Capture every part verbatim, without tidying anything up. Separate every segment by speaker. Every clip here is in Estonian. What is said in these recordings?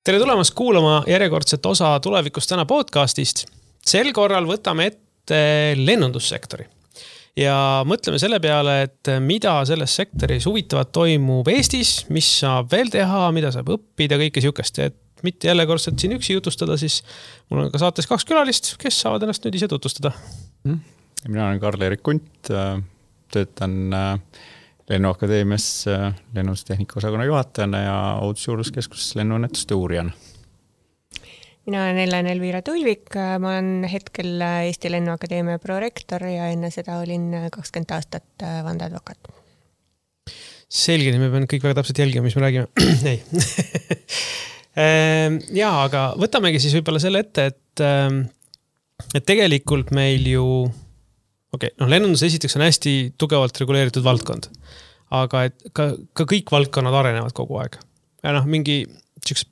Speaker 1: Tere tulemast kuulama järjekordset osa Tulevikust täna podcastist. Sel korral võtame ette lennundussektori. Ja mõtleme selle peale, et mida selles sektoris huvitavat toimub Eestis, mis saab veel teha, mida saab õppida, kõike siukest. Et mitte jälle kordselt siin üksi jutustada, siis mul on ka saates kaks külalist, kes saavad ennast nüüd ise tutvustada.
Speaker 2: Mina olen Karl-Erik Kunt, töötan Lennuakadeemias lennundustehnika osakonna juhatajana ja Ohutusjuurdluskeskuses lennuõnnetuste uurijana.
Speaker 3: Mina olen Ellen Elvira Tulvik, ma olen hetkel Eesti Lennuakadeemia prorektor ja enne seda olin kakskümmend aastat vandeadvokaat.
Speaker 1: Selge, me peame kõik väga täpselt jälgima, mis me räägime. Ei. Jaa, aga võtamegi siis võib-olla selle ette, et, et tegelikult meil ju okei, okay, no lennundus esiteks on hästi tugevalt reguleeritud valdkond, aga et ka, ka kõik valdkonnad arenevad kogu aeg. Ja noh, mingi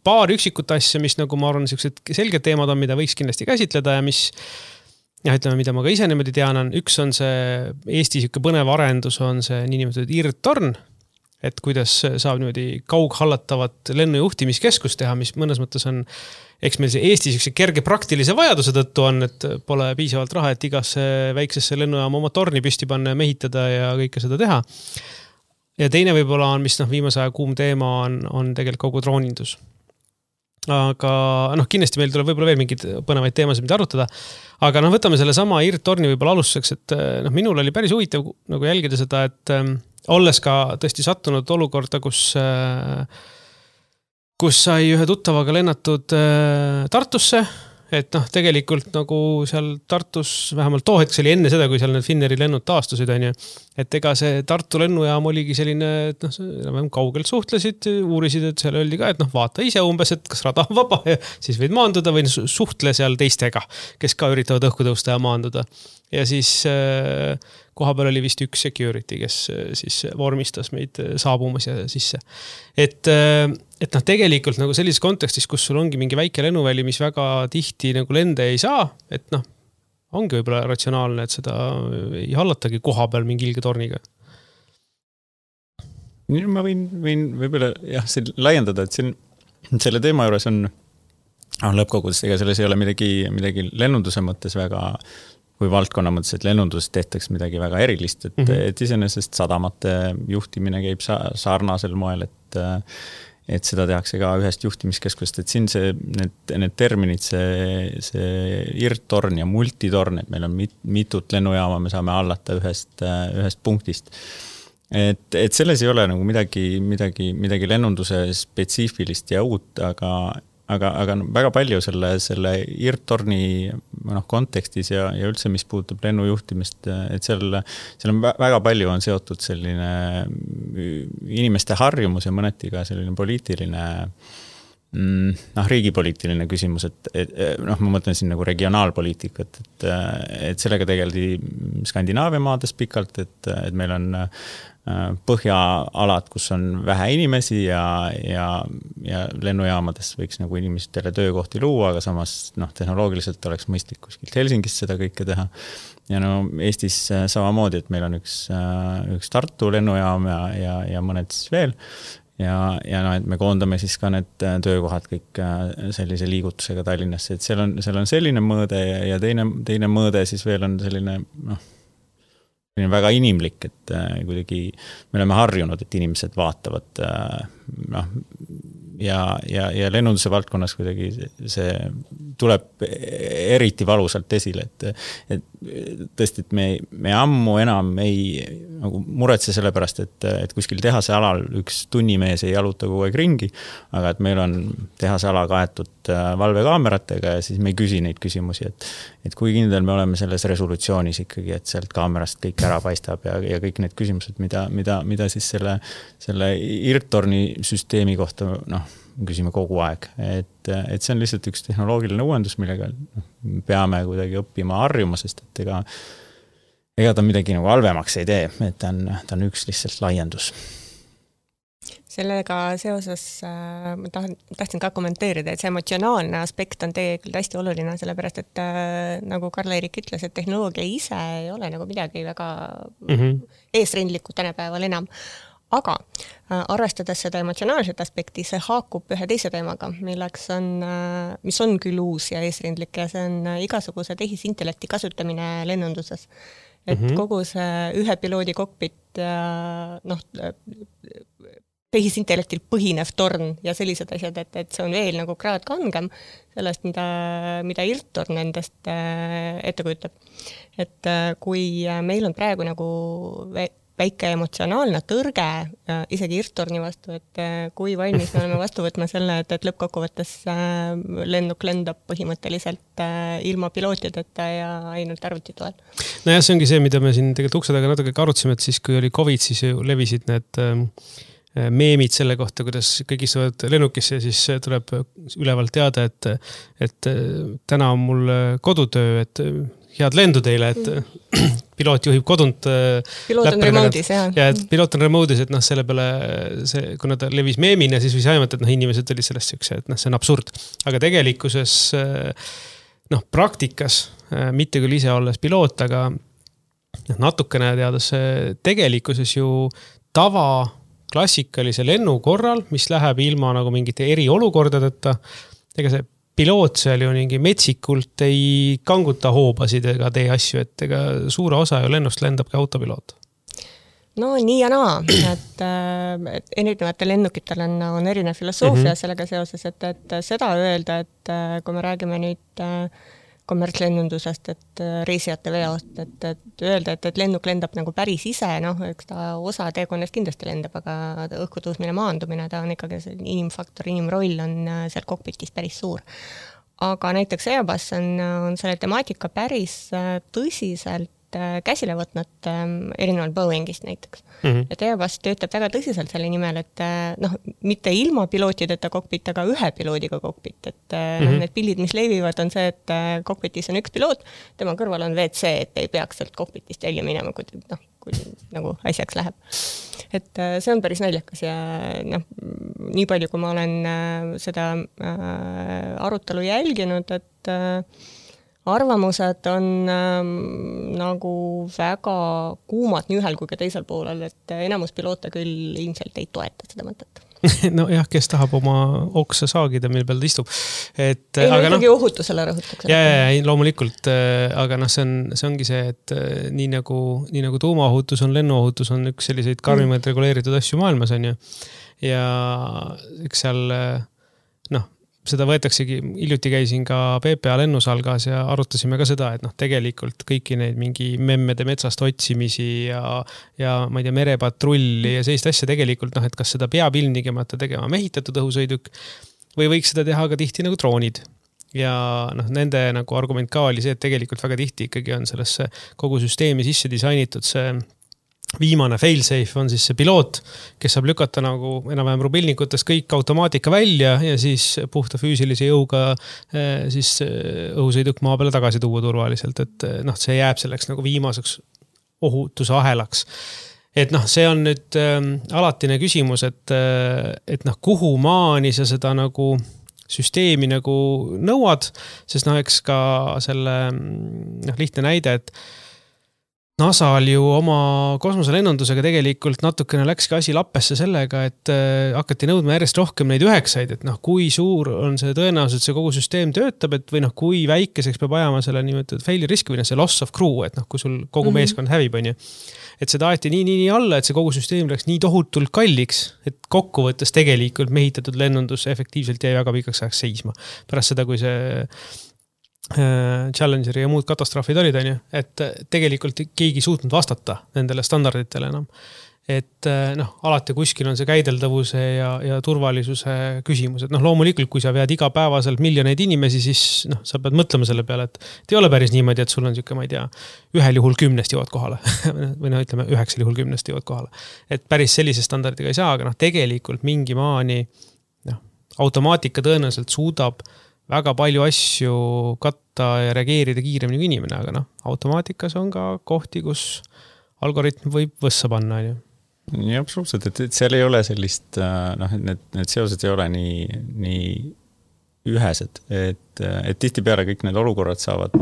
Speaker 1: paar üksikut asja, mis nagu ma arvan, selged teemad on, mida võiks kindlasti käsitleda ja mis, ja ütleme, mida ma ka ise niimoodi tean, on üks on see Eesti siuke põnev arendus, on see niinimetatud IRT-torn, et kuidas saab niimoodi kaughallatavat lennujuhtimiskeskust teha, mis mõnes mõttes on eks meil see Eesti siukse kerge praktilise vajaduse tõttu on, et pole piisavalt raha, et igasse väiksesse lennujaama oma torni püsti panna ja mehitada ja kõike seda teha. Ja teine võib-olla on, mis noh, viimase aja kuum teema on, on tegelikult kogu droonindus. Aga noh, kindlasti meil tuleb võib-olla veel mingid põnevaid teemasid, mida arutada. Aga noh, võtame selle sama IRT-torni võib-olla alustuseks, et noh, minul oli päris huvitav nagu jälgida seda, et ähm, olles ka tõesti sattunud olukorda, kus äh, kus sai ühe tuttavaga lennatud äh, Tartusse, et noh, tegelikult nagu seal Tartus, vähemalt too hetk, see oli enne seda, kui seal need Finneri lennud taastusid, on ju, et ega see Tartu lennujaam oligi selline, et noh, kaugelt suhtlesid, uurisid, et seal öeldi ka, et noh, vaata ise umbes, et kas rada on vaba ja siis võid maanduda või suhtle seal teistega, kes ka üritavad õhku tõusta ja maanduda. Ja siis äh, koha peal oli vist üks security, kes äh, siis vormistas meid saabumas ja sisse. Et, äh, et noh, tegelikult nagu sellises kontekstis, kus sul ongi mingi väike lennuväli, mis väga tihti nagu lende ei saa, et noh, ongi võib-olla ratsionaalne, et seda ei hallatagi koha peal mingi ilge torniga.
Speaker 2: Ma võin, võin võib-olla jah, laiendada, et siin, selle teema juures on, on lõppkogudes, ega selles ei ole midagi, midagi lennunduse mõttes väga kui valdkonna mõttes, et lennunduses tehtaks midagi väga erilist, et, mm-hmm. et iseenesest sadamate juhtimine käib sarnasel moel, et, et seda tehakse ka ühest juhtimiskeskust, et siin see, need, need terminid, see, see IRT-torn ja multitorn, et meil on mit, mitut lennujaama, me saame hallata ühest, ühest punktist. Et, et selles ei ole nagu midagi, midagi, midagi lennunduse spetsiifilist ja uut, aga Aga, aga väga palju selle, selle IRT-torni noh, kontekstis ja, ja üldse, mis puudutab lennujuhtimist, et seal, seal on väga palju on seotud selline inimeste harjumus ja mõneti ka selline poliitiline, noh, riigipoliitiline küsimus, et, et noh, ma mõtlen siin nagu regionaalpoliitikat, et, et sellega tegeldi Skandinaavia maades pikalt, et, et meil on põhjaalad, kus on vähe inimesi ja, ja, ja lennujaamades võiks nagu inimestele töökohti luua, aga samas noh, tehnoloogiliselt oleks mõistlik kuskilt Helsingis seda kõike teha. Ja no Eestis samamoodi, et meil on üks, üks Tartu lennujaam ja, ja, ja mõned siis veel. Ja, ja no, et me koondame siis ka need töökohad kõik sellise liigutusega Tallinnasse, et seal on, seal on selline mõõde ja, ja teine, teine mõõde siis veel on selline noh, väga inimlik, et kuidagi me oleme harjunud, et inimesed vaatavad noh, ja, ja, ja lennunduse valdkonnas kuidagi see tuleb eriti valusalt esile, et, et tõesti, et me, me ammu enam ei nagu muretse selle pärast, et, et kuskil tehase alal üks tunnimees ei jaluta kogu aeg ringi, aga et meil on tehase ala kaetud valvekaameratega ja siis me ei küsi neid küsimusi, et, et kui kindel me oleme selles resolutsioonis ikkagi, et sealt kaamerast kõik ära paistab ja, ja kõik need küsimused, mida, mida, mida siis selle, selle IRT-torni süsteemi kohta noh, küsime kogu aeg, et, et see on lihtsalt üks tehnoloogiline uuendus, millega noh, peame kuidagi õppima harjuma, sest et ega, ega ta midagi nagu halvemaks ei tee, et ta on, ta on üks lihtsalt laiendus.
Speaker 3: Sellega seoses äh, ma tahan, tahtsin ka kommenteerida, et see emotsionaalne aspekt on tegelikult hästi oluline, sellepärast et äh, nagu Karl-Erik ütles, et tehnoloogia ise ei ole nagu midagi väga mm-hmm. eesrindlikku tänapäeval enam. aga arvestades seda emotsionaalset aspekti, see haakub ühe teise teemaga, milleks on, mis on küll uus ja eesrindlik ja see on igasuguse tehisintellekti kasutamine lennunduses. Et mm-hmm. kogu see ühe piloodi kokpit ja noh, tehisintellektil põhinev torn ja sellised asjad, et, et see on veel nagu kraad kangem sellest, mida, mida IRT-torn endast ette kujutab. Et kui meil on praegu nagu väike emotsionaalne tõrge isegi IRT-torni vastu, et kui valmis me oleme vastu võtma selle, et, et lõppkokkuvõttes lennuk lendab põhimõtteliselt ilma pilootideta ja ainult arvuti toel.
Speaker 1: No jah, see ongi see, mida me siin tegelikult ukse taga natuke arutasime, et siis kui oli COVID, siis ju levisid need meemid selle kohta, kuidas kõik istuvad lennukisse ja siis tuleb ülevalt teada, et, et täna on mul kodutöö, et head lendu teile, et mm. piloot juhib kodunt
Speaker 3: piloot on remote'is, jah.
Speaker 1: Ja, et piloot on remote'is, et noh, selle peale, see, kuna ta levis meemina, siis võis aimata, et noh, inimesed olid sellest siukse, et noh, see on absurd. Aga tegelikkuses, noh, praktikas, mitte küll ise olles piloot, aga natukene teades tegelikkuses ju tava klassikalise lennu korral, mis läheb ilma nagu mingite eriolukordadeta, ega see piloot seal ju mingi metsikult ei kanguta hoobasid ega tee asju, et ega suure osa ju lennust lendab ka autopiloot.
Speaker 3: No nii ja naa, et, et erinevatel lennukitel on, on erinev filosoofia mm-hmm. sellega seoses, et, et seda öelda, et kui me räägime nüüd kommertslennundusest, et reisijate veost, et, et öelda, et, et lennuk lendab nagu päris ise, noh, eks ta osa teekonnast kindlasti lendab, aga õhkutõusmine, maandumine, ta on ikkagi see inimfaktor, inimroll on seal kokpitis päris suur. Aga näiteks Airbus on, on selle temaatika päris tõsiselt käsile võtnud erinevalt Boeingist näiteks. Mm-hmm. Et Airbus töötab väga tõsiselt selle nimel, et noh, mitte ilma pilootideta kokpit, aga ühe piloodiga kokpit. Et mm-hmm. noh, need pildid, mis levivad, on see, et kokpitis on üks piloot, tema kõrval on V C, et ei peaks sealt kokpitist välja minema, kui, noh, kui nagu asjaks läheb. Et see on päris naljakas ja noh, nii palju, kui ma olen seda arutelu jälginud, et arvamused on ähm, nagu väga kuumad nii ühel kui ka teisel poolel, et enamus piloote küll ilmselt ei toeta seda mõtet.
Speaker 1: No jah, kes tahab oma oksa saagida, mille peal ta istub. Et,
Speaker 3: ei, no
Speaker 1: aga
Speaker 3: ikkagi
Speaker 1: no,
Speaker 3: ohutusele rõhutakse.
Speaker 1: Ja, ja, ja, loomulikult, aga noh, see, on, see ongi see, et nii nagu, nii nagu tuumaohutus on, lennuohutus on üks selliseid karmimaid mm. reguleeritud asju maailmas on ju. Ja üks seal, noh, seda võetaksegi, hiljuti käisin ka P P A lennusalgas ja arutasime ka seda, et noh, tegelikult kõiki neid mingi memmede metsast otsimisi ja, ja ma ei tea, merepatrulli ja sellist asja tegelikult, noh, et kas seda peab ilmnigemata tegema mehitatud õhusõiduk või võiks seda teha ka tihti nagu droonid. Ja noh, nende nagu argument ka oli see, et tegelikult väga tihti ikkagi on sellesse kogu süsteemi sisse disainitud see viimane fail-safe on siis see piloot, kes saab lükata nagu enam-vähem rubilnikutest kõik automaatika välja ja siis puhta füüsilise jõuga siis õhusõiduk maa peale tagasi tuua turvaliselt, et noh, see jääb selleks nagu viimaseks ohutuse ahelaks. Et noh, see on nüüd äh, alatine küsimus, et, et noh, kuhu maani sa seda nagu süsteemi nagu nõuad, sest noh, eks ka selle noh, lihtne näide, et NASAl ju oma kosmoselennundusega tegelikult natukene läkski asi lappesse sellega, et äh, hakati nõudma järjest rohkem neid üheksaid, et noh, kui suur on see tõenäosus, et see kogu süsteem töötab, et või noh, kui väikeseks peab ajama selle nimetatud failure risk või noh, see loss of crew, et noh, kui sul kogu mm-hmm. meeskond hävib, on ju. Et seda aeti nii, nii, nii alla, et see kogu süsteem läks nii tohutult kalliks, et kokkuvõttes tegelikult mehitatud lennundus efektiivselt jäi väga pikaks ajaks seisma. Pärast seda, kui see Challengeri ja muud katastroofid olid, on ju, et tegelikult keegi suutnud vastata nendele standarditele enam. Et noh, alati kuskil on see käideldavuse ja, ja turvalisuse küsimus. Et noh, loomulikult, kui sa vead igapäevaselt miljoneid inimesi, siis noh, sa pead mõtlema selle peale, et ei ole päris niimoodi, et sul on siuke, ma ei tea, ühel juhul kümnest jõuad kohale või noh, ütleme, üheksal juhul kümnest jõuad kohale. Et päris sellise standardiga ei saa, aga noh, tegelikult mingi maani noh, automaatika tõenäoliselt suudab väga palju asju katta ja reageerida kiiremini kui inimene, aga noh, automaatikas on ka kohti, kus algoritm võib võssa panna.
Speaker 2: Nii absoluutselt, et, et seal ei ole sellist, noh, need, need seosed ei ole nii, nii ühesed, et, et tihti peale kõik need olukorrad saavad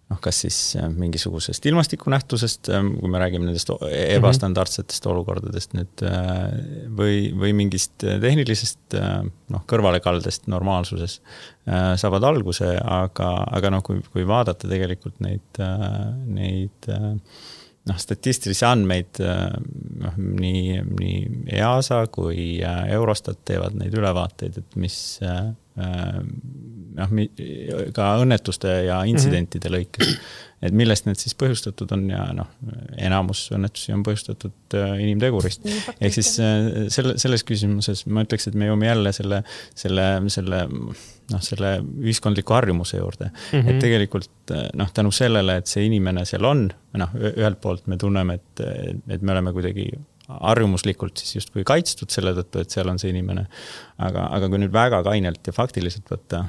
Speaker 2: noh, kas siis mingisugusest ilmastikunähtusest, kui me räägime nendest ebastandardsetest olukordadest nüüd, või, või mingist tehnilisest noh, kõrvalekaldest normaalsuses saavad alguse, aga, aga noh, kui, kui vaadata tegelikult neid, neid noh, statistilisi andmeid noh, nii, nii E A S A kui Eurostat teevad neid ülevaateid, et mis noh, ka õnnetuste ja intsidentide lõikes, et millest need siis põhjustatud on ja noh, enamus õnnetusi on põhjustatud inimtegurist. Ehk siis selle, selles küsimuses ma ütleks, et me jõuame jälle selle, selle, selle, noh, selle ühiskondliku harjumuse juurde. Mm-hmm. Et tegelikult noh, tänu sellele, et see inimene seal on, noh, ühelt poolt me tunneme, et, et me oleme kuidagi harjumuslikult siis justkui kaitstud selle tõttu, et seal on see inimene. Aga, aga kui nüüd väga kainelt ja faktiliselt võtta,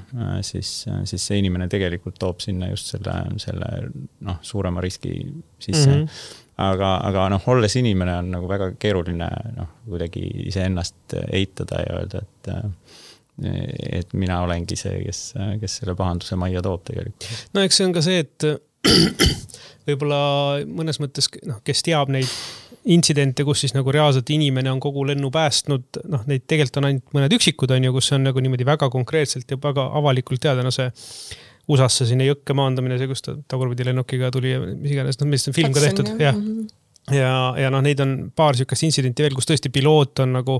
Speaker 2: siis, siis see inimene tegelikult toob sinna just selle, selle noh, suurema riski sisse. Mm-hmm. Aga, aga noh, olles inimene on nagu väga keeruline noh, kuidagi iseennast eitada ja öelda, et, et mina olengi see, kes, kes selle pahanduse majja toob tegelikult.
Speaker 1: No eks see on ka see, et võib-olla mõnes mõttes, noh, kes teab neid intsidente, kus siis nagu reaalselt inimene on kogu lennu päästnud, noh, neid tegelikult on ainult mõned üksikud, on ju, kus on nagu niimoodi väga konkreetselt ja väga avalikult teada, no see U S A-sse sinna jõkke maandamine, see, kus ta tagurpidi lennukiga tuli ja mis iganes, noh, mis on film ka tehtud, jah. Ja, ja noh, neid on paar sükast intsidenti veel, kus tõesti piloot on nagu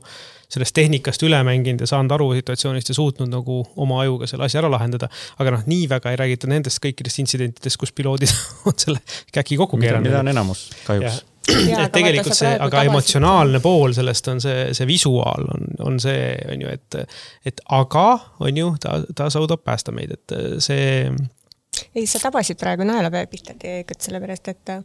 Speaker 1: sellest tehnikast üle mänginud ja saanud aru situatsioonist ja suutnud nagu oma ajuga selle asja ära lahendada. Aga noh, nii väga ei räägita nendest kõikidest intsidentidest, kus piloodid on selle käki kokku keeranud.
Speaker 2: Mida on enamus kahjuks.
Speaker 1: Ja, et tegelikult see, aga emotsionaalne pool sellest on see, see visuaal on, on see, on ju, et, et aga on ju, ta, ta saudab päästa meid, et see...
Speaker 3: Ei, sa tabasid praegu naela pihta tegelikult sellepärast, et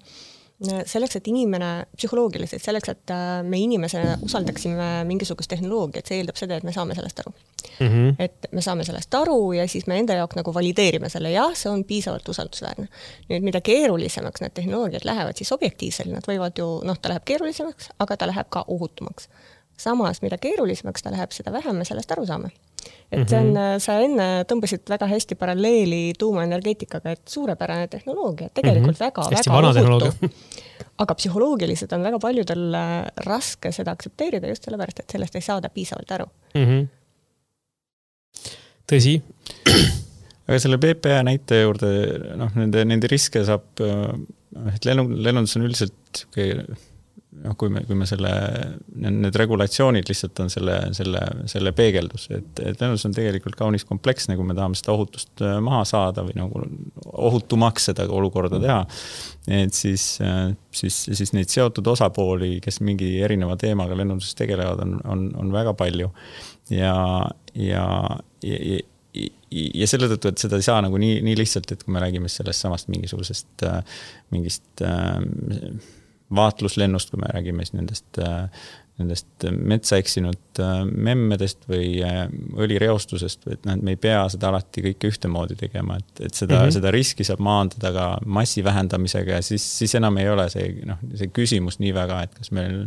Speaker 3: selleks, et inimene psühholoogiliselt, selleks, et me inimesena usaldaksime mingisugust tehnoloogiat, see eeldab seda, et me saame sellest aru. Mm-hmm. Et me saame sellest aru ja siis me enda jaoks nagu valideerime selle, jah, see on piisavalt usaldusväärne. Nüüd, mida keerulisemaks need tehnoloogiad lähevad, siis objektiivselt nad võivad ju, noh, ta läheb keerulisemaks, aga ta läheb ka ohutumaks. Samas, mida keerulisemaks ta läheb, seda vähem me sellest aru saame. Et see on, sa enne tõmbasid väga hästi paralleeli tuumaenergeetikaga, et suurepärane tehnoloogia, tegelikult mm-hmm. väga,
Speaker 1: hästi
Speaker 3: väga ohutu. Aga psühholoogiliselt on väga paljudel raske seda aksepteerida just sellepärast, et sellest ei saada piisavalt aru.
Speaker 1: Mm-hmm. Tõsi.
Speaker 2: Aga selle B P A näite juurde, noh, nende, nende riske saab, et lennundus on üldiselt noh, kui me, kui me selle, need regulatsioonid lihtsalt on selle, selle, selle peegeldus, et, et lennundus on tegelikult kaunis kompleksne, kui me tahame seda ohutust maha saada või nagu ohutumaks seda olukorda teha, et siis, siis, siis neid seotud osapooli, kes mingi erineva teemaga lennunduses tegelevad, on, on, on väga palju ja, ja, ja, ja ja selle tõttu, et seda ei saa nagu nii, nii lihtsalt, et kui me räägime sellest samast mingisugusest mingist vaatluslennust, kui me räägime nendest, nendest metsa eksinud memmedest või õlireostusest, et me ei pea seda alati kõike ühtemoodi tegema, et, et seda, mm-hmm. seda riski saab maandada ka massi vähendamisega ja siis, siis enam ei ole see, noh, see küsimus nii väga, et kas meil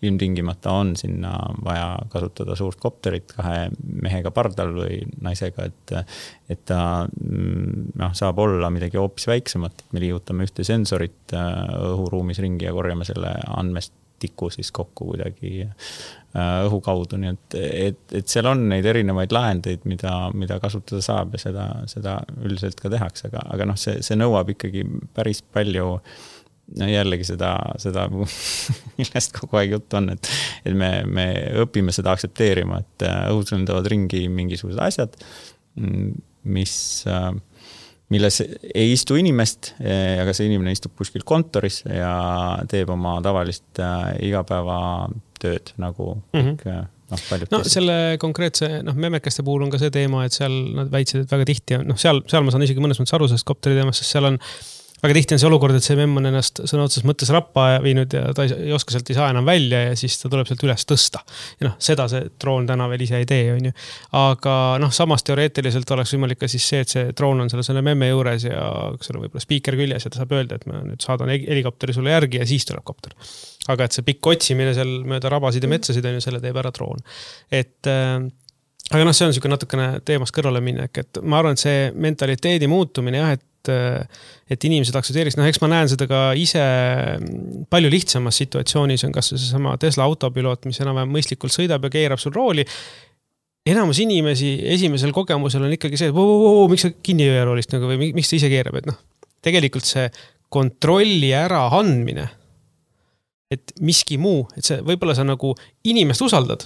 Speaker 2: ilmtingimata on sinna vaja kasutada suurt kopterit kahe mehega pardal või naisega, et, et ta noh, saab olla midagi hoopis väiksemat, et me liigutame ühte sensorit õhuruumis ringi ja korjame selle andmest tiku siis kokku kuidagi õhu kaudu, nii et, et, et seal on neid erinevaid lahendeid, mida, mida kasutada saab ja seda, seda üldiselt ka tehakse, aga, aga noh, see, see nõuab ikkagi päris palju no jällegi seda, seda millest kogu aeg jutt on, et, et me, me õpime seda aksepteerima, et õhus lendavad ringi mingisugused asjad, mis milles ei istu inimest, aga see inimene istub kuskil kontoris ja teeb oma tavalist igapäeva tööd nagu mm-hmm. kõik, noh, paljud
Speaker 1: no, selle konkreetse noh, memekeste puhul on ka see teema, et seal nad väitsid, et väga tihti noh, seal, seal ma saan isegi mõnes mõttes aru sellest kopteri teemast, sest seal on väga tihti on see olukord, et see memm on ennast sõna otseses mõttes rappa viinud ja ta ei, ei oska sealt ei saa enam välja ja siis ta tuleb sealt üles tõsta. Ja noh, seda see droon täna veel ise ei tee, on ju. Aga noh, samas teoreetiliselt oleks võimalik ka siis see, et see droon on selle, selle memme juures ja seal on võib-olla speaker küljes ja ta saab öelda, et ma nüüd saadan helikopteri sulle järgi ja siis tuleb kopter. Aga et see pikk otsimine seal mööda rabasid ja metsasid on ju, selle teeb ära droon. Et äh, aga noh, see on niisugune natukene teemast kõrvale minek, et ma arvan, et see mentaliteedi muutumine jah, et et, et inimesed aktsepteeriks. Noh, eks ma näen seda ka ise palju lihtsamas situatsioonis on kas see sama Tesla autopiloot, mis enam-vähem mõistlikult sõidab ja keerab sul rooli. Enamus inimesi esimesel kogemusel on ikkagi see, et voo, voo, voo, miks sa kinni öö roolist nagu, või miks ta ise keerab, et noh, tegelikult see kontrolli ära andmine, et miski muu, et see võib-olla sa nagu inimest usaldad,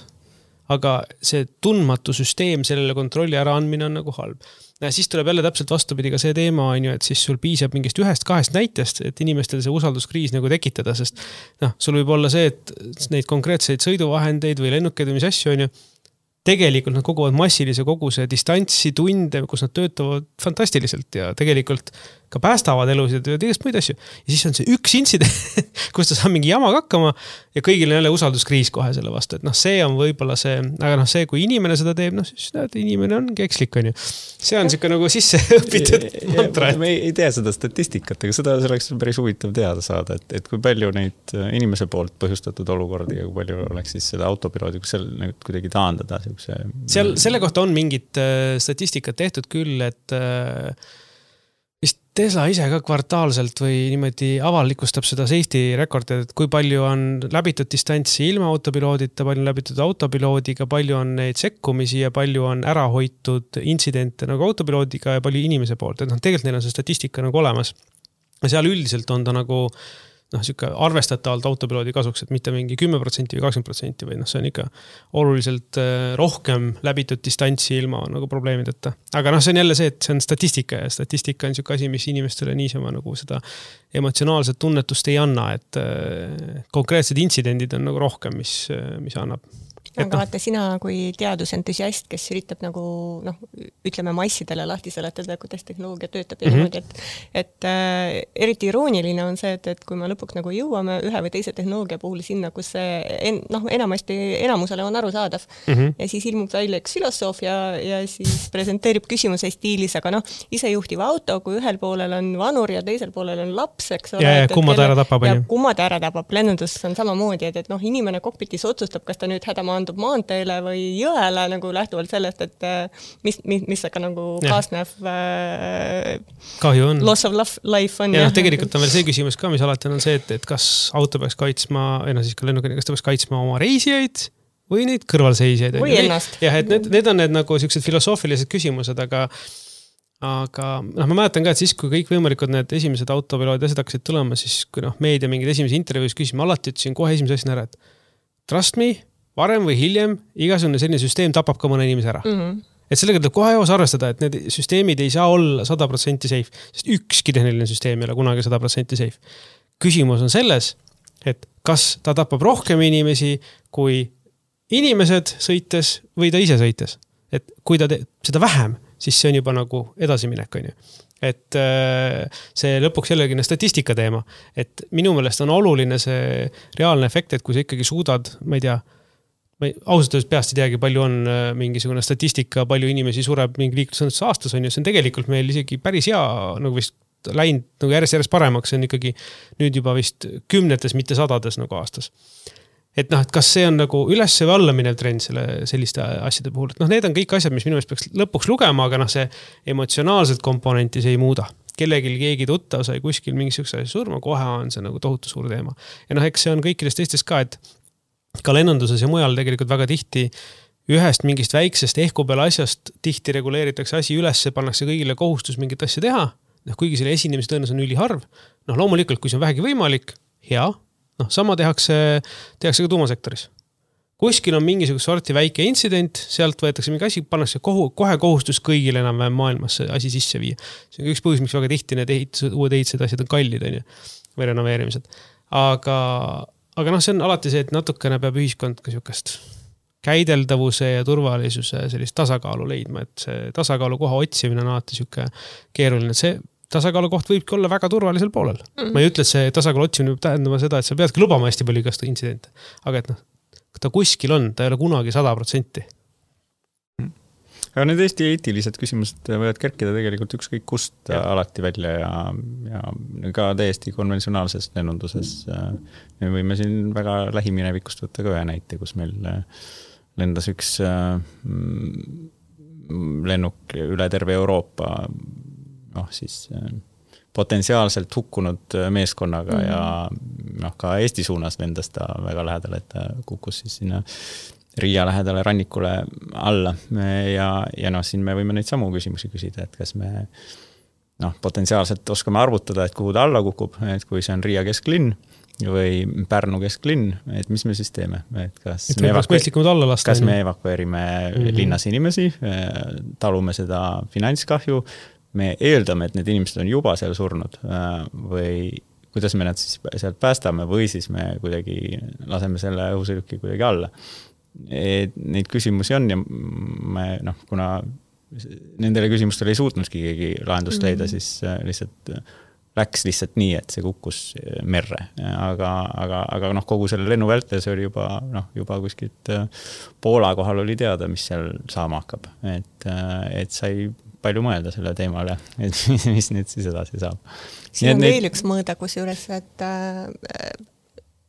Speaker 1: aga see tundmatu süsteem sellele kontrolli ära andmine on nagu halb. Ja siis tuleb jälle täpselt vastupidi ka see teema, on ju, et siis sul piisab mingist ühest kahest näitest, et inimestel see usalduskriis nagu tekitada, sest noh, sul võib olla see, et neid konkreetseid sõiduvahendeid või lennukeid või mis asju on ju, tegelikult nad koguvad massilise koguse distantsi, tunde, kus nad töötavad fantastiliselt ja tegelikult ka päästavad elusid ja tegest muid asju. Ja siis on see üks intsident, kus ta saab mingi jamaga hakkama ja kõigil on jälle usalduskriis kohe selle vastu. Et noh, see on võib-olla see, aga noh, see, kui inimene seda teeb, noh, siis näed, inimene ongi ekslik, on ju. See on siuke nagu sisse õpitud mantra.
Speaker 2: Me ei tea seda statistikat, aga seda oleks päris huvitav teada saada, et, et kui palju neid inimese poolt põhjustatud olukordi ja kui palju oleks siis seda autopiloodi, kus seal nagu kuidagi taandada. See...
Speaker 1: Seal, selle kohta on mingit statistikat tehtud küll, et vist Tesla ise ka kvartaalselt või niimoodi avalikustab seda safety rekordit, et kui palju on läbitud distantsi ilma autopiloodita, palju on läbitud autopiloodiga, palju on neid sekkumisi ja palju on ära hoitud intsidente nagu autopiloodiga ja palju inimese poolt. Et noh, tegelikult neil on see statistika nagu olemas. Ja seal üldiselt on ta nagu noh, siuke arvestatavalt autopiloodi kasuks, et mitte mingi kümme protsenti või kakskümmend protsenti või noh, see on ikka oluliselt rohkem läbitud distantsi ilma nagu probleemideta. Aga noh, see on jälle see, et see on statistika ja statistika on siuke asi, mis inimestele niisama nagu seda emotsionaalset tunnetust ei anna, et konkreetsed intsidendid on nagu rohkem, mis, mis annab.
Speaker 3: Aga vaata sina kui teadusentusiast, kes üritab nagu, noh, ütleme massidele lahti seletada, kuidas tehnoloogia töötab ja mm -hmm. niimoodi, et, et äh, eriti irooniline on see, et, et kui me lõpuks nagu jõuame ühe või teise tehnoloogia puhul sinna, kus see en, noh, enamasti enamusele on arusaadav mm -hmm. ja siis ilmub välja üks filosoof ja, ja siis presenteerib küsimuse stiilis, aga noh, isejuhtiv auto, kui ühel poolel on vanur ja teisel poolel on laps, eks ole.
Speaker 1: Ja, ja kumma ta ära tapab.
Speaker 3: Ja kumma ta ära tapab. Lennundus on samamoodi, et, et noh, inimene kokpitis otsustab, kas ta nüüd hädama andub maanteele või jõele nagu lähtuvalt sellest, et mis, mis, mis aga nagu kaasnev
Speaker 1: kahju on.
Speaker 3: Loss of life on.
Speaker 1: Ja, ja tegelikult on veel see küsimus ka, mis alati on see, et, et kas auto peaks kaitsma, või no siis ka lennukene, kas ta peaks kaitsma oma reisijaid või neid kõrvalseisjaid.
Speaker 3: Või ennast.
Speaker 1: Jah, et need, need on need nagu sellised filosoofilised küsimused, aga aga noh, ma mäletan ka, et siis, kui kõik võimalikud need esimesed autopilood asjad hakkasid tulema, siis kui noh, meedia mingid esimesi intervjuus küsima, alati ütlesin kohe esimese asjana ära, et trust me, varem või hiljem igasugune selline süsteem tapab ka mõne inimese ära. Mm -hmm. Et sellega tuleb kohe joos arvestada, et need süsteemid ei saa olla sada protsenti safe, sest ükski tehniline süsteem ei ole kunagi sada protsenti safe. Küsimus on selles, et kas ta tapab rohkem inimesi kui inimesed sõites või ta ise sõites. Et kui ta teeb seda vähem, siis see on juba nagu edasiminek, on ju. Et see lõpuks jällegi statistika teema, et minu meelest on oluline see reaalne efekt, et kui sa ikkagi suudad, ma ei tea, ma ei, ausalt öeldes peast ei teagi, palju on mingisugune statistika, palju inimesi sureb mingi liiklusõnnetuses aastas on ju, see on tegelikult meil isegi päris hea, nagu vist läinud nagu järjest järjest paremaks, see on ikkagi nüüd juba vist kümnetes, mitte sadades nagu aastas. Et noh, et kas see on nagu üles või alla minev trend selle, selliste asjade puhul, et noh, need on kõik asjad, mis minu meelest peaks lõpuks lugema, aga noh, see emotsionaalselt komponenti see ei muuda. Kellegil keegi tuttav sai kuskil mingisuguse asja surma, kohe on see nagu tohutu suur teema. Ja noh, eks see on kõikides teistes ka, et ka lennunduses ja mujal tegelikult väga tihti ühest mingist väiksest ehku peale asjast tihti reguleeritakse asi üles, pannakse kõigile kohustus mingit asja teha, noh, kuigi selle esinemise tõenäosus on üliharv. Noh, loomulikult, kui see on vähegi võimalik, hea, noh, sama tehakse, tehakse ka tuumasektoris. Kuskil on mingisugune sorti väike intsident, sealt võetakse mingi asi, pannakse kohu, kohe kohustus kõigile enam maailmas see asi sisse viia. See on üks põhjus, miks väga tihti need ehitused, uued ehitused asjad on kallid, on ju, või renoveerimised. Aga Aga noh, see on alati see, et natukene peab ühiskond ka siukest käideldavuse ja turvalisuse sellist tasakaalu leidma, et see tasakaalu koha otsimine on alati siuke keeruline. See tasakaalu koht võibki olla väga turvalisel poolel. Mm-hmm. Ma ei ütle, et see tasakaalu otsimine võib tähendama seda, et sa peadki lubama hästi palju igast intsidente. Aga et noh, ta kuskil on, ta ei ole kunagi sada protsenti.
Speaker 2: Aga need Eesti eetilised küsimused võivad kerkida tegelikult ükskõik kust ja. alati välja ja, ja ka täiesti konventsionaalses lennunduses. Me võime siin väga lähiminevikust võtta ka ühe näite, kus meil lendas üks lennuk üle terve Euroopa, noh siis potentsiaalselt hukkunud meeskonnaga mm. ja noh, ka Eesti suunas lendas ta väga lähedal, et ta kukkus siis sinna Riia lähedale rannikule alla ja, ja noh, siin me võime neid samu küsimusi küsida, et kas me noh, potentsiaalselt oskame arvutada, et kuhu ta alla kukub, et kui see on Riia kesklinn või Pärnu kesklinn, et mis me siis teeme, et kas,
Speaker 1: et me, evakueer... alla lasta,
Speaker 2: kas me evakueerime mm-hmm. linnas inimesi, talume seda finantskahju, me eeldame, et need inimesed on juba seal surnud või kuidas me nad siis sealt päästame või siis me kuidagi laseme selle õhusõiduki kuidagi alla. Et neid küsimusi on ja me, noh, kuna nendele küsimustele ei suutnudki keegi lahendust leida, mm-hmm. siis lihtsalt läks lihtsalt nii, et see kukkus merre, aga, aga, aga noh, kogu selle lennu vältel see oli juba, noh, juba kuskilt Poola kohal oli teada, mis seal saama hakkab, et, et sai palju mõelda selle teemale, et mis nüüd siis edasi saab.
Speaker 3: Siin on veel neid... üks mõõda, kus juures, et äh,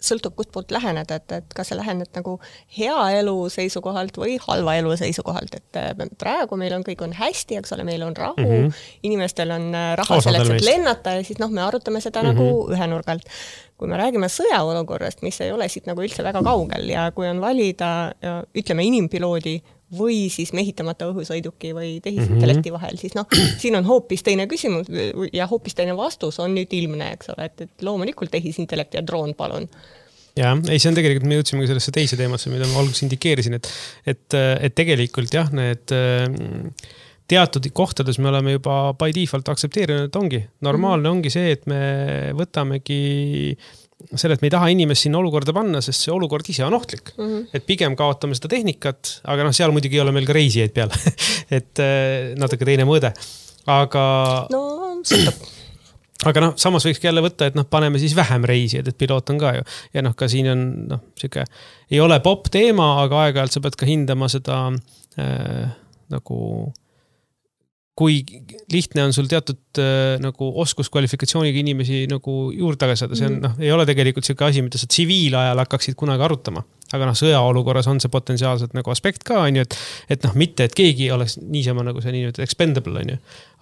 Speaker 3: sõltub kust poolt lähened, et, et kas sa lähened nagu hea elu seisukohalt või halva elu seisukohalt, et praegu meil on kõik on hästi, eks ole, meil on rahu, mm -hmm. inimestel on raha Osadel selleks, et lennata ja siis noh, me arutame seda mm -hmm. nagu ühe nurgalt. Kui me räägime sõjaolukorrast, mis ei ole siit nagu üldse väga kaugel ja kui on valida, ütleme, inimpiloodi või siis mehitamata õhusõiduki või tehisintellekti vahel, siis noh, siin on hoopis teine küsimus ja hoopis teine vastus on nüüd ilmne, eks ole, et, et loomulikult tehisintellekt ja droon, palun.
Speaker 1: Ja, ei, see on tegelikult, me jõudsime sellesse teise teemasse, mida ma alguses indikeerisin, et, et, et tegelikult jah, need teatud kohtades me oleme juba by default aktsepteerinud, et ongi. Normaalne ongi see, et me võtamegi selle, et me ei taha inimest sinna olukorda panna, sest see olukord ise on ohtlik. Mm -hmm. Et pigem kaotame seda tehnikat, aga noh, seal muidugi ei ole meil ka reisijaid peal. et natuke teine mõõde. Aga...
Speaker 3: No, sõltub.
Speaker 1: Aga noh, samas võikski jälle võtta, et noh, paneme siis vähem reisijaid, et piloot on ka ju. Ja noh, ka siin on, noh, siuke, ei ole pop teema, aga aeg-ajalt sa pead ka hindama seda äh, nagu... kui lihtne on sul teatud äh, nagu oskuskvalifikatsiooniga inimesi nagu juurde tagasi saada. See on, noh, ei ole tegelikult selline asi, mida sa tsiviilajal hakkaksid kunagi arutama. Aga noh, sõjaolukorras on see potentsiaalselt nagu aspekt ka, on ju, et, et noh, mitte, et keegi oleks niisama nagu see nii-öelda expendable, on ju.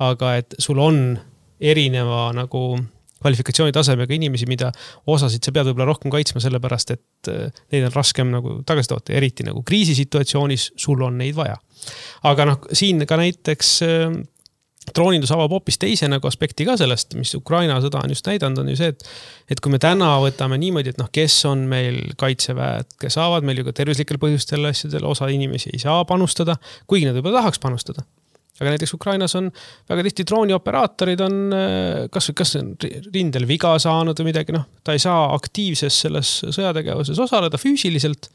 Speaker 1: Aga et sul on erineva nagu kvalifikatsiooni tasemega inimesi, mida osasid sa pead võib-olla rohkem kaitsma sellepärast, et neid on raskem nagu tagasi toota. Eriti nagu kriisisituatsioonis sul on neid vaja. Aga noh, siin ka näiteks äh, droonindus avab hoopis teise nagu aspekti ka sellest, mis Ukraina sõda on just näidanud, on ju see, et, et kui me täna võtame niimoodi, et noh, kes on meil kaitseväed, kes saavad meil ju ka tervislikel põhjustel asjadel, osa inimesi ei saa panustada, kuigi nad võib-olla tahaks panustada. Aga näiteks Ukrainas on väga tihti droonioperaatorid on kas, kas on rindel viga saanud või midagi, noh, ta ei saa aktiivses selles sõjategevuses osaleda füüsiliselt,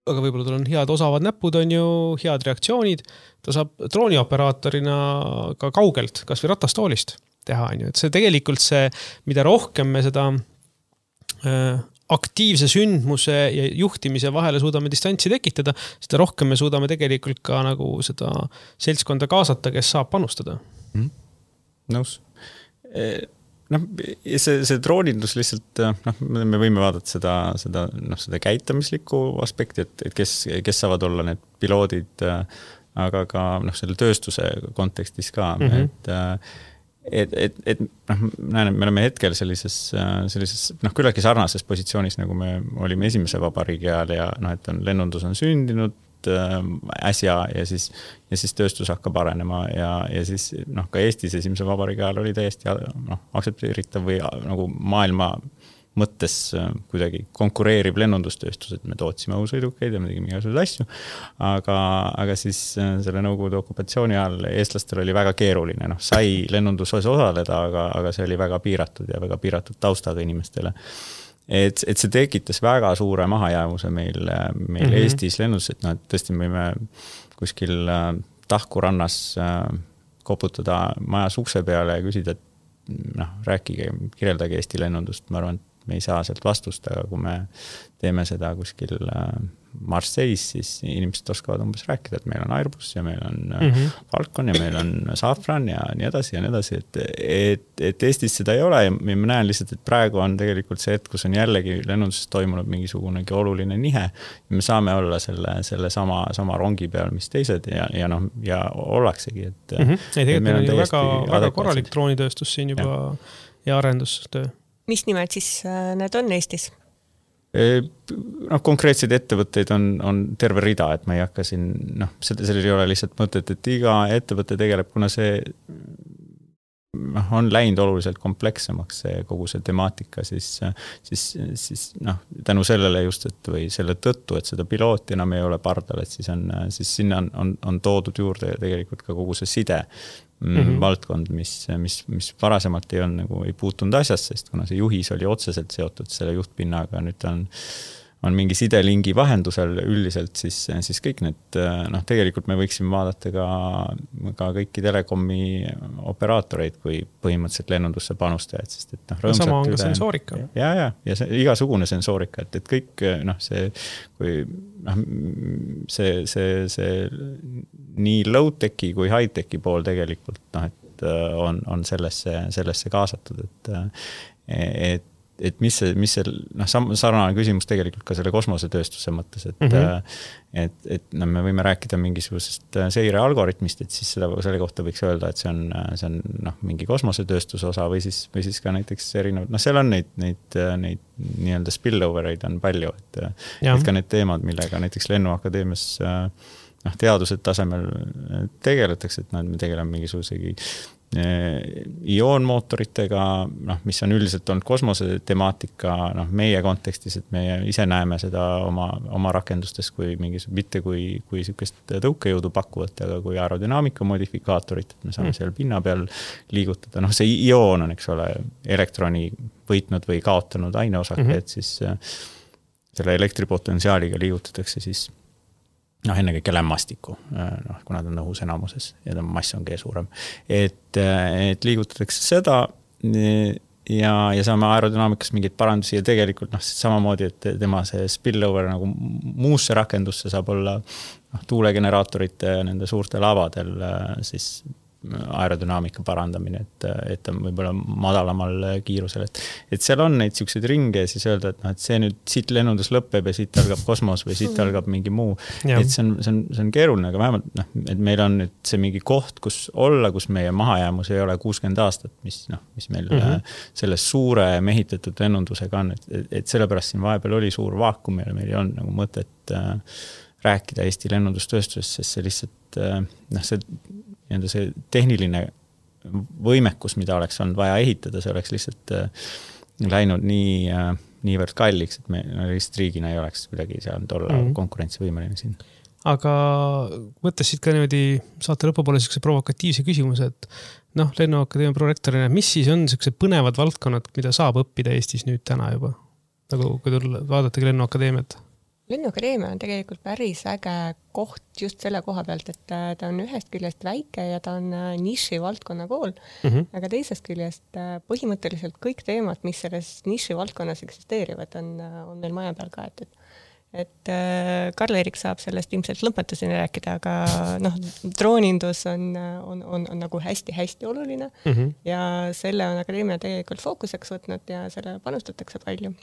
Speaker 1: aga võib-olla tal on head osavad näpud, on ju, head reaktsioonid, ta saab droonioperaatorina ka kaugelt, kas või ratastoolist teha, on ju, et see tegelikult see, mida rohkem me seda äh, aktiivse sündmuse ja juhtimise vahele suudame distantsi tekitada, seda rohkem me suudame tegelikult ka nagu seda seltskonda kaasata, kes saab panustada.
Speaker 2: Mm. Nõus. No, see, see droonindus lihtsalt, noh, me võime vaadata seda, seda, noh, seda käitamislikku aspekti, et, et kes, kes saavad olla need piloodid, aga ka noh, selle tööstuse kontekstis ka, mm-hmm. et et, et, et noh, näen, et me oleme hetkel sellises, sellises noh, küllaltki sarnases positsioonis, nagu me olime esimese vabariigi ajal ja noh, et on, lennundus on sündinud äsja ja siis, ja siis tööstus hakkab arenema ja, ja siis noh, ka Eestis esimese vabariigi ajal oli täiesti noh, aksepteeritav või nagu maailma mõttes kuidagi konkureerib lennundustööstus, et me tootsime õhusõidukeid ja me tegime igasuguseid asju, aga, aga siis selle Nõukogude okupatsiooni ajal eestlastel oli väga keeruline, noh, sai lennunduses osaleda, aga, aga see oli väga piiratud ja väga piiratud taustaga inimestele. Et, et see tekitas väga suure mahajäävuse meil, meil mm-hmm. Eestis lennus, et noh, et tõesti me võime kuskil Tahku rannas koputada majas ukse peale ja küsida, et noh, rääkige, kirjeldage Eesti lennundust, ma arvan, et me ei saa sealt vastust, aga kui me teeme seda kuskil Marseilles, siis inimesed oskavad umbes rääkida, et meil on Airbus ja meil on mm-hmm. Falcon ja meil on Safran ja nii edasi ja nii edasi, et, et, et Eestis seda ei ole ja ma näen lihtsalt, et praegu on tegelikult see hetk, kus on jällegi lennunduses toimunud mingisugunegi oluline nihe. Me saame olla selle, selle sama, sama rongi peal, mis teised ja, ja, noh, ja ollaksegi. Et,
Speaker 1: mm-hmm. ei, tegelikult meil on ju väga, väga korralik droonitööstus siin juba ja, ja arendustöö.
Speaker 3: Mis nimed siis need on Eestis?
Speaker 2: noh, konkreetseid ettevõtteid on, on terve rida, et ma ei hakka siin, noh, sellel ei ole lihtsalt mõtet, et iga ettevõte tegeleb, kuna see noh, on läinud oluliselt komplekssemaks see kogu see temaatika, siis, siis, siis noh, tänu sellele just, et või selle tõttu, et seda pilooti enam ei ole pardal, et siis on, siis sinna on, on, on toodud juurde tegelikult ka kogu see side mm-hmm. valdkond, mis, mis, mis varasemalt ei on nagu ei puutunud asjast, sest kuna see juhis oli otseselt seotud selle juhtpinnaga, nüüd on on mingi sidelingi vahendusel üldiselt, siis, siis kõik need, noh, tegelikult me võiksime vaadata ka, ka kõiki telekomi operaatoreid, kui põhimõtteliselt lennundusse panustajad, sest et noh,
Speaker 1: rõõmsalt sama on üle, ka sensoorika.
Speaker 2: Ja, ja, ja see, igasugune sensoorika, et, et kõik, noh, see, kui, noh, see, see, see nii low-techi kui high-techi pool tegelikult, noh, et on, on sellesse, sellesse kaasatud, et, et et mis see, mis see, noh, sarnane küsimus tegelikult ka selle kosmosetööstuse mõttes, et, mm-hmm. et, et no, me võime rääkida mingisugusest seire algoritmist, et siis seda, selle kohta võiks öelda, et see on, see on noh, mingi kosmosetööstuse osa või siis, või siis ka näiteks erinevad, noh, seal on neid, neid, neid nii-öelda spillovereid on palju, et, et ka need teemad, millega näiteks Lennuakadeemias noh, teadused tasemel tegeletakse, et noh, me tegeleme mingisugusegi ioonmootoritega, noh, mis on üldiselt olnud kosmose temaatika, noh, meie kontekstis, et meie ise näeme seda oma, oma rakendustes kui mingis, mitte kui, kui sükest tõukejõudu pakkuvat, aga kui aerodünaamika modifikaatorit, et me saame mm. seal pinna peal liigutada. Noh, see ioon on, eks ole, elektroni võitnud või kaotanud aineosake, mm-hmm. et siis selle elektripotentsiaaliga liigutatakse siis noh, ennekõike lämmastiku, noh, kuna ta on õhus enamuses ja ta mass on G suurem. Et, et liigutatakse seda ja, ja saame aerodünaamikas mingeid parandusi ja tegelikult noh, samamoodi, et tema see spillover nagu muusse rakendusse saab olla noh, tuulegeneraatorite nende suurte lavadel siis aerodünaamika parandamine, et, et on võib-olla madalamal kiirusel. Et, et seal on neid siukseid ringe ja siis öelda, et, no, et see nüüd siit lennundus lõpeb ja siit algab kosmos või siit algab mingi muu. Ja. Et see on, see, on, see on keeruline, aga vähemalt, noh, et meil on nüüd see mingi koht, kus olla, kus meie mahajäämus ei ole kuuskümmend aastat, mis, noh, mis meil mm-hmm. selles suure mehitatud lennundusega on. Et, et sellepärast siin vahepeal oli suur vaakum ja meil ei olnud nagu mõtet äh, rääkida Eesti lennundustööstusest, sest see lihtsalt, äh, noh, see enda see tehniline võimekus, mida oleks olnud vaja ehitada, see oleks lihtsalt äh, läinud nii, äh, niivõrd kalliks, et me lihtsalt riigina ei oleks kuidagi seal olla mm. konkurentsivõimeline siin.
Speaker 1: Aga mõttes siit ka niimoodi saate lõpupoole selline provokatiivse küsimuse, et noh, Lennuakadeemia prorektorina, mis siis on selline põnevad valdkonnad, mida saab õppida Eestis nüüd täna juba? Nagu kui tulla, vaadatagi Lennuakadeemiat.
Speaker 3: Lennuakadeemia on tegelikult päris äge koht just selle koha pealt, et ta on ühest küljest väike ja ta on niši valdkonna kool, mm-hmm. aga teisest küljest põhimõtteliselt kõik teemad, mis selles niši valdkonnas eksisteerivad, on, on meil maja peal ka, et, et Karl-Erik saab sellest ilmselt lõpetuseni rääkida, aga noh, droonindus on, on, on, on nagu hästi-hästi oluline mm-hmm. ja selle on akadeemia tegelikult fookuseks võtnud ja selle panustatakse palju.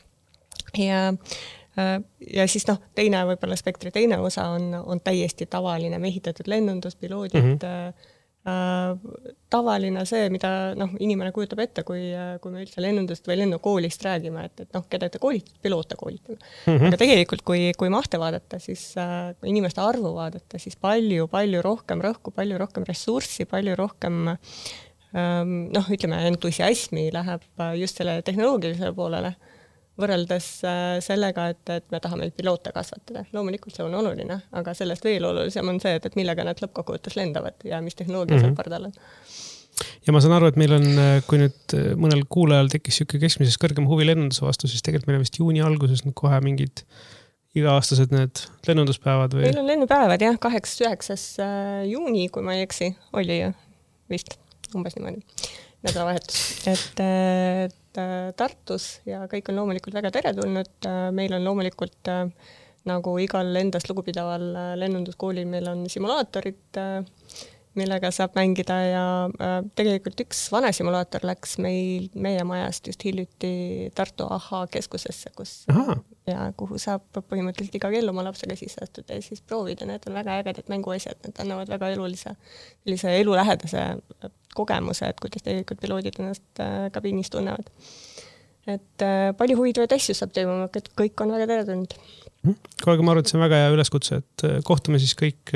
Speaker 3: Ja ja siis noh, teine võib-olla spektri teine osa on, on täiesti tavaline mehitatud lennundus, piloodid, mm-hmm. äh, tavaline see, mida noh, inimene kujutab ette, kui, kui me üldse lennundust või lennukoolist räägime, et, et noh, keda te koolitate, piloote koolitame. Mm-hmm. Aga tegelikult, kui, kui mahte vaadata, siis äh, kui inimeste arvu vaadata, siis palju, palju rohkem rõhku, palju rohkem ressurssi, palju rohkem ähm, noh, ütleme, entusiasmi läheb just selle tehnoloogilisele poolele võrreldes sellega, et, et me tahame piloote kasvatada. Loomulikult see on oluline, aga sellest veel olulisem on see, et, et millega nad lõppkokkuvõttes lendavad ja mis tehnoloogia mm-hmm. seal pardal on.
Speaker 1: Ja ma saan aru, et meil on, kui nüüd mõnel kuulajal tekkis siuke keskmisest kõrgem huvi lennunduse vastu, siis tegelikult meil on vist juuni alguses nüüd kohe mingid iga-aastased need lennunduspäevad või?
Speaker 3: Meil on lennupäevad jah, kaheksa üheksas juuni, kui ma ei eksi, oli ju vist umbes niimoodi. nädalavahetus, et, et Tartus ja kõik on loomulikult väga teretulnud, meil on loomulikult nagu igal endast lugupidaval lennunduskoolil, meil on simulaatorid, millega saab mängida ja tegelikult üks vana simulaator läks meil, meie majast just hiljuti Tartu A H keskusesse, kus Aha. ja kuhu saab põhimõtteliselt iga kell oma lapsega sisse astuda ja siis proovida, need on väga ägedad mänguasjad, need annavad väga elulise, sellise elulähedase kogemuse, et kuidas tegelikult piloodid ennast kabiinis tunnevad. Et palju huvitavaid asju saab teemama, et kõik on väga teretulnud.
Speaker 1: Kuule, ma arvan, et see on väga hea üleskutse, et kohtume siis kõik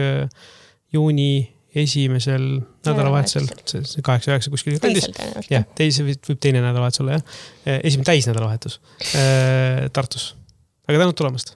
Speaker 1: juuni esimesel nädalavahetusel, see kaheksa üheksa kuskil kandis. Jah, teise võib teine nädalavahetus olla, jah. Esimene täis nädalavahetus Tartus. Aga tänud tulemast!